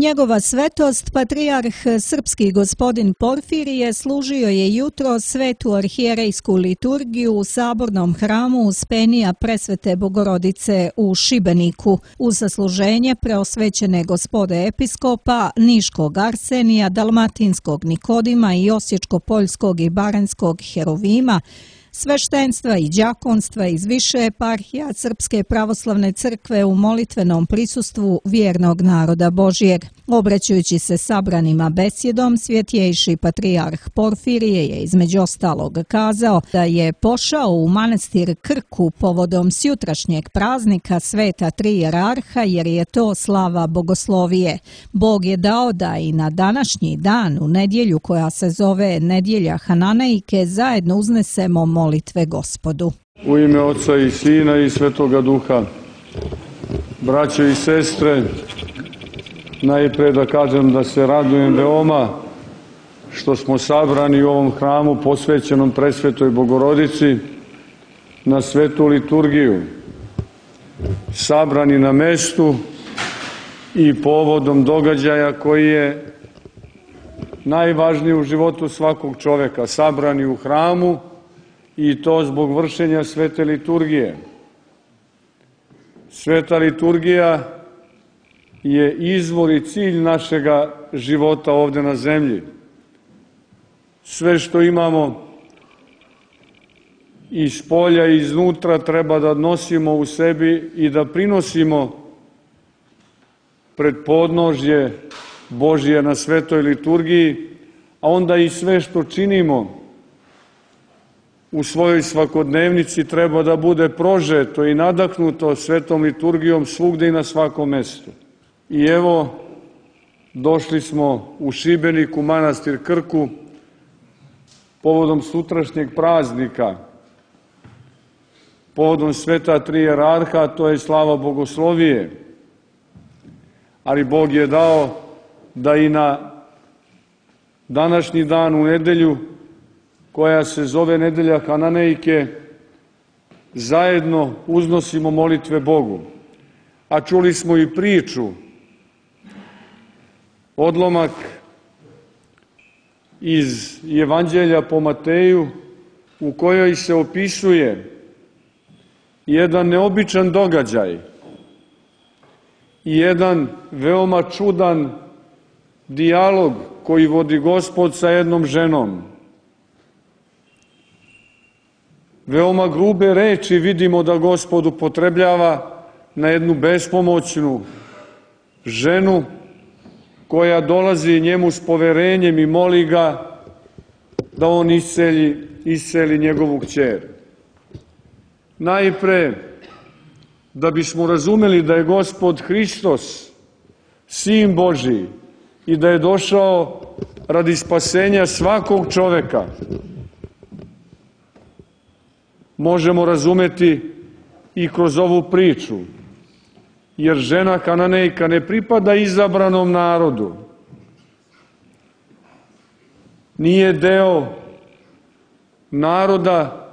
Njegova svetost, patrijarh srpski gospodin Porfirije, služio je jutro svetu arhijerejsku liturgiju u sabornom hramu Uspenija Presvete Bogorodice u Šibeniku uz zasluženje preosvećene gospode episkopa Niškog Arsenija, Dalmatinskog Nikodima i Osječko-Poljskog i Baranjskog Herovima, sveštenstva i đakonstva iz više eparhija Srpske pravoslavne crkve u molitvenom prisustvu vjernog naroda Božjeg. Obraćajući se sabranima besjedom, svjetjejši patrijarh Porfirije je između ostalog kazao da je pošao u manastir Krku povodom sjutrašnjeg praznika Sveta Tri jerarha jer je to slava bogoslovije. Bog je dao da i na današnji dan, u nedjelju koja se zove Nedjelja Hananejke, zajedno uznesemo molitve Gospodu. U ime Oca i Sina i Svetoga Duha, braćo i sestre, najprije da kažem da se radujem veoma što smo sabrani u ovom hramu posvećenom Presvetoj Bogorodici na svetu liturgiju, sabrani na mestu i povodom događaja koji je najvažniji u životu svakog čoveka, sabrani u hramu i to zbog vršenja svete liturgije. Sveta liturgija je izvor i cilj našega života ovdje na zemlji. Sve što imamo iz polja i iznutra treba da nosimo u sebi i da prinosimo pred podnožje Božje na svetoj liturgiji, a onda i sve što činimo u svojoj svakodnevnici treba da bude prožeto i nadahnuto svetom liturgijom svugde i na svakom mestu. I evo, došli smo u Šibenik, u manastir Krku, povodom sutrašnjeg praznika, povodom Sveta Tri jerarha, to je slava bogoslovije. Ali Bog je dao da i na današnji dan u nedelju, koja se zove Nedelja Hananejke, zajedno uznosimo molitve Bogu. A čuli smo i priču, odlomak iz Evanđelja po Mateju, u kojoj se opisuje jedan neobičan događaj i jedan veoma čudan dijalog koji vodi Gospod sa jednom ženom. Veoma grube reči vidimo da Gospod upotrebljava na jednu bespomoćnu ženu koja dolazi njemu s poverenjem i moli ga da on isceli njegovu kćer. Najpre, da bismo razumeli da je Gospod Hristos, Sin Božji, i da je došao radi spasenja svakog čoveka, možemo razumeti i kroz ovu priču, jer žena Hananejka ne pripada izabranom narodu, nije deo naroda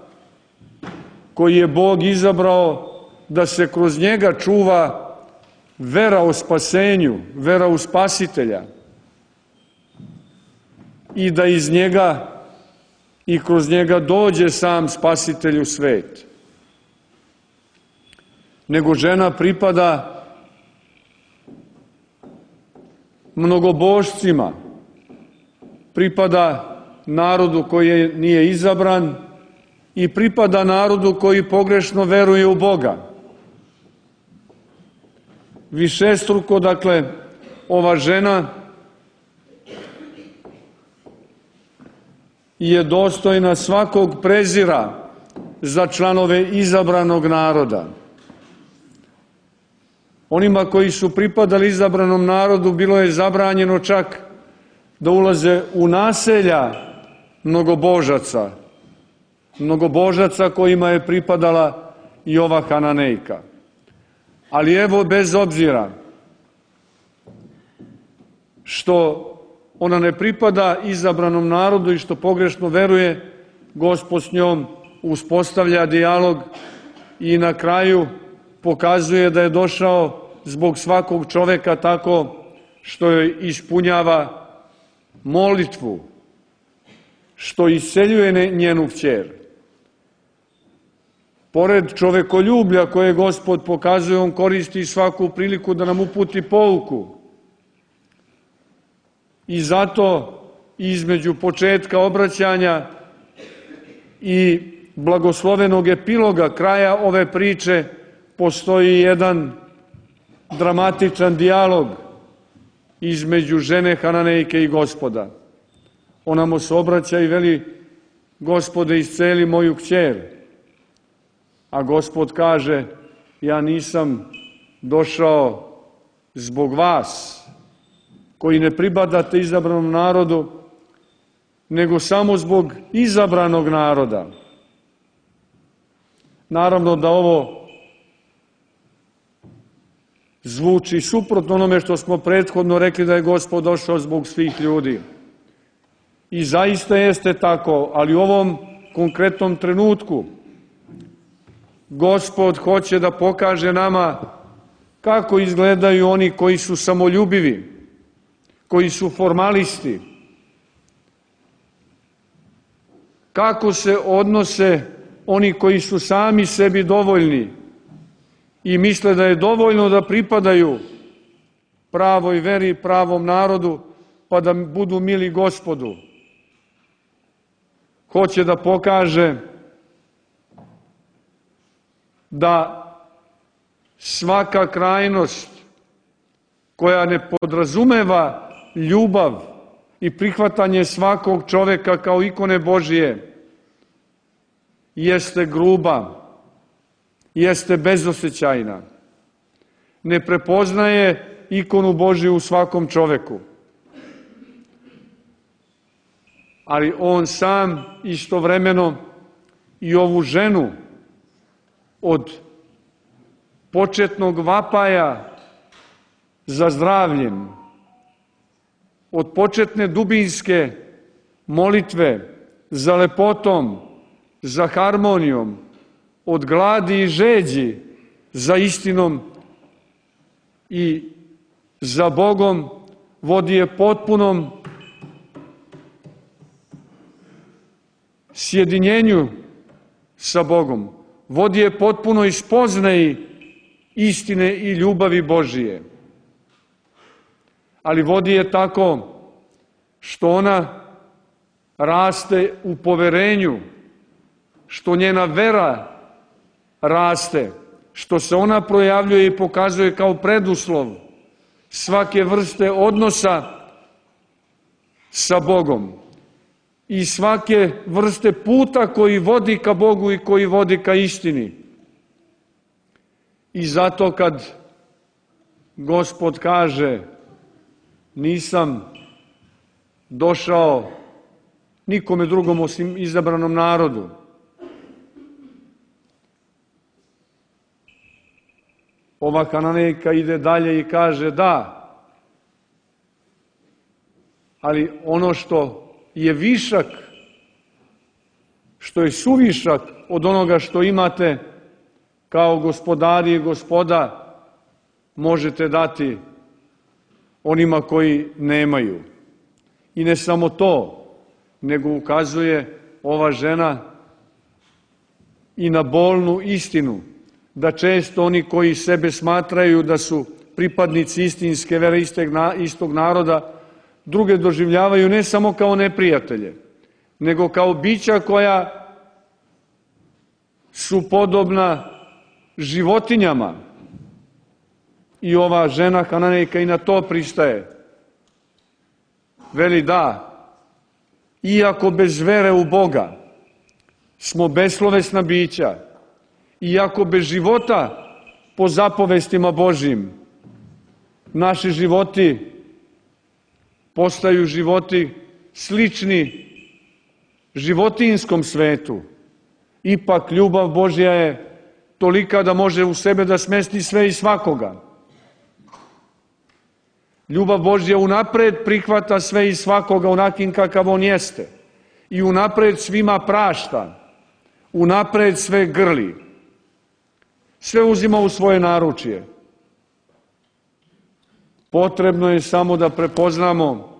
koji je Bog izabrao da se kroz njega čuva vera o spasenju, vera u Spasitelja i da iz njega i kroz njega dođe sam Spasitelj u svet. Nego žena pripada mnogobožcima, pripada narodu koji nije izabran i pripada narodu koji pogrešno veruje u Boga. Višestruko, dakle, ova žena je dostojna svakog prezira za članove izabranog naroda. Onima koji su pripadali izabranom narodu bilo je zabranjeno čak da ulaze u naselja mnogobožaca kojima je pripadala i ova Hananejka. Ali evo, bez obzira što ona ne pripada izabranom narodu i što pogrešno veruje, Gospod s njom uspostavlja dijalog i na kraju pokazuje da je došao zbog svakog čoveka tako što joj ispunjava molitvu, što isceljuje njenu kćer. Pored čovekoljublja koje Gospod pokazuje, on koristi svaku priliku da nam uputi pouku. I zato između početka obraćanja i blagoslovenog epiloga kraja ove priče postoji jedan dramatičan dijalog između žene Hananejke i Gospoda. Ona mu se obraća i veli: Gospode, isceli moju kćer. A Gospod kaže: ja nisam došao zbog vas, koji ne pripadate izabranom narodu, nego samo zbog izabranog naroda. Naravno da ovo zvuči suprotno onome što smo prethodno rekli da je Gospod došao zbog svih ljudi. I zaista jeste tako, ali u ovom konkretnom trenutku Gospod hoće da pokaže nama kako izgledaju oni koji su samoljubivi, koji su formalisti, kako se odnose oni koji su sami sebi dovoljni i misle da je dovoljno da pripadaju pravoj veri, pravom narodu, pa da budu mili Gospodu. Hoće da pokaže da svaka krajnost koja ne podrazumeva ljubav i prihvatanje svakog čoveka kao ikone Božije jeste gruba, jeste bezosećajna, ne prepoznaje ikonu Božiju u svakom čoveku. Ali on sam istovremeno i ovu ženu od početnog vapaja za zdravljem, od početne dubinske molitve za lepotom, za harmonijom, od gladi i žeđi za istinom i za Bogom, vodi je potpunom sjedinjenju sa Bogom, vodi je potpunoj spoznaji istine i ljubavi Božije. Ali vodi je tako što ona raste u poverenju, što njena vera raste, što se ona projavljuje i pokazuje kao preduslov svake vrste odnosa sa Bogom i svake vrste puta koji vodi ka Bogu i koji vodi ka istini. I zato kad Gospod kaže: nisam došao nikome drugom osim izabranom narodu, ova Hananejka ide dalje i kaže: da, ali ono što je višak, što je suvišak od onoga što imate kao gospodari i gospoda, možete dati onima koji nemaju. I ne samo to, nego ukazuje ova žena i na bolnu istinu, da često oni koji sebe smatraju da su pripadnici istinske vere, istog naroda, druge doživljavaju ne samo kao neprijatelje, nego kao bića koja su podobna životinjama. I ova žena Hananejka i na to pristaje. Veli: da, iako bez vere u Boga smo beslovesna bića, iako bez života po zapovestima Božjim naši životi postaju životi slični životinjskom svetu, ipak ljubav Božja je tolika da može u sebe da smesti sve i svakoga. Ljubav Božja unapred prihvata sve i svakoga onakim kakav on jeste i unapred svima prašta, unapred sve grli, sve uzima u svoje naručje. Potrebno je samo da prepoznamo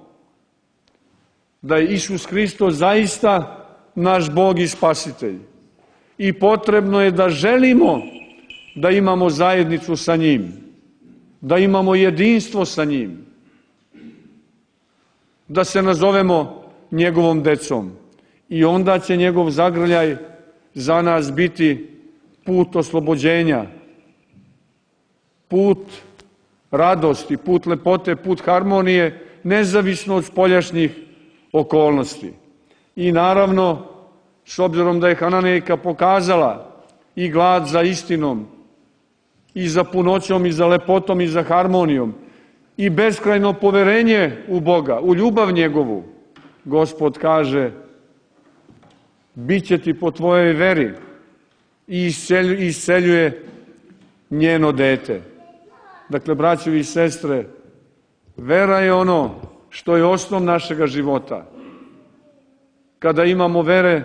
da je Isus Hristos zaista naš Bog i Spasitelj. I potrebno je da želimo da imamo zajednicu sa njim, da imamo jedinstvo sa njim, da se nazovemo njegovom decom. I onda će njegov zagrljaj za nas biti put oslobođenja, put radosti, put lepote, put harmonije, nezavisno od spoljašnjih okolnosti. I naravno, s obzirom da je Hananejka pokazala i glad za istinom, i za punoćom, i za lepotom, i za harmonijom, i beskrajno poverenje u Boga, u ljubav njegovu, Gospod kaže, bit će ti po tvojoj veri, i isceljuje njeno dete. Dakle, braćovi i sestre, vera je ono što je osnov našega života. Kada imamo vere,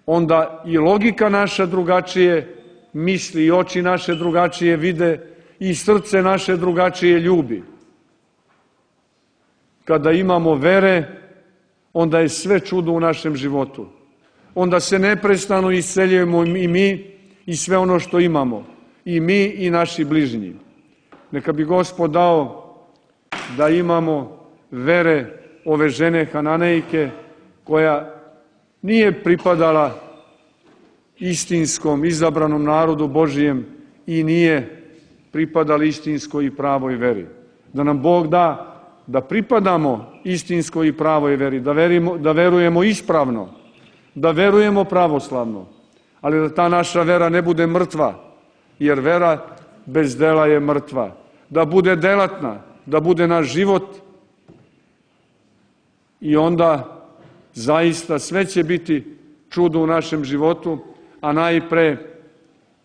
onda i logika naša drugačije misli, i oči naše drugačije vide, i srce naše drugačije ljubi. Kada imamo vere, onda je sve čudo u našem životu. Onda se neprestano isceljujemo i mi i sve ono što imamo. I mi i naši bližnji. Neka bi Gospod dao da imamo vere ove žene Hananejke, koja nije pripadala istinskom, izabranom narodu Božijem i nije pripadala istinskoj i pravoj veri. Da nam Bog da da pripadamo istinskoj i pravoj veri, da verujemo ispravno, da verujemo pravoslavno, ali da ta naša vera ne bude mrtva, jer vera bez dela je mrtva. Da bude delatna, da bude naš život, i onda zaista sve će biti čudo u našem životu, a najpre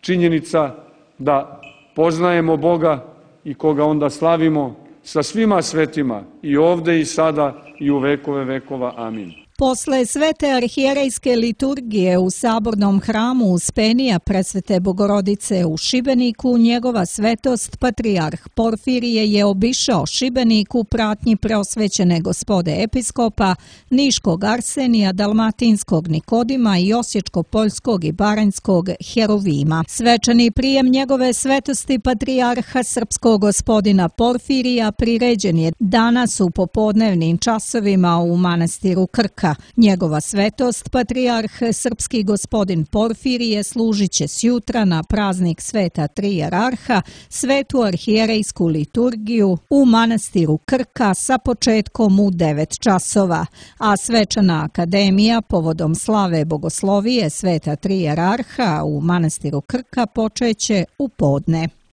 činjenica da poznajemo Boga i koga onda slavimo sa svima svetima, i ovde i sada i u vekove vekova. Amin. Posle svete arhijerejske liturgije u Sabornom hramu Uspenija Presvete Bogorodice u Šibeniku, njegova svetost patrijarh Porfirije je obišao Šibenik u pratnji preosvećene gospode episkopa, Niškog Arsenija, Dalmatinskog Nikodima i Osječko-Poljskog i Baranjskog Heruvima. Svečani prijem njegove svetosti patrijarha srpskog gospodina Porfirija priređen je danas u popodnevnim časovima u manastiru Krka. Njegova svetost, patrijarh srpski gospodin Porfirije, služit će sjutra na praznik sveta tri jerarha svetu arhijerejsku liturgiju u manastiru Krka sa početkom u 9 časova, a svečana akademija povodom slave bogoslovije sveta tri jerarha u manastiru Krka počeće u podne.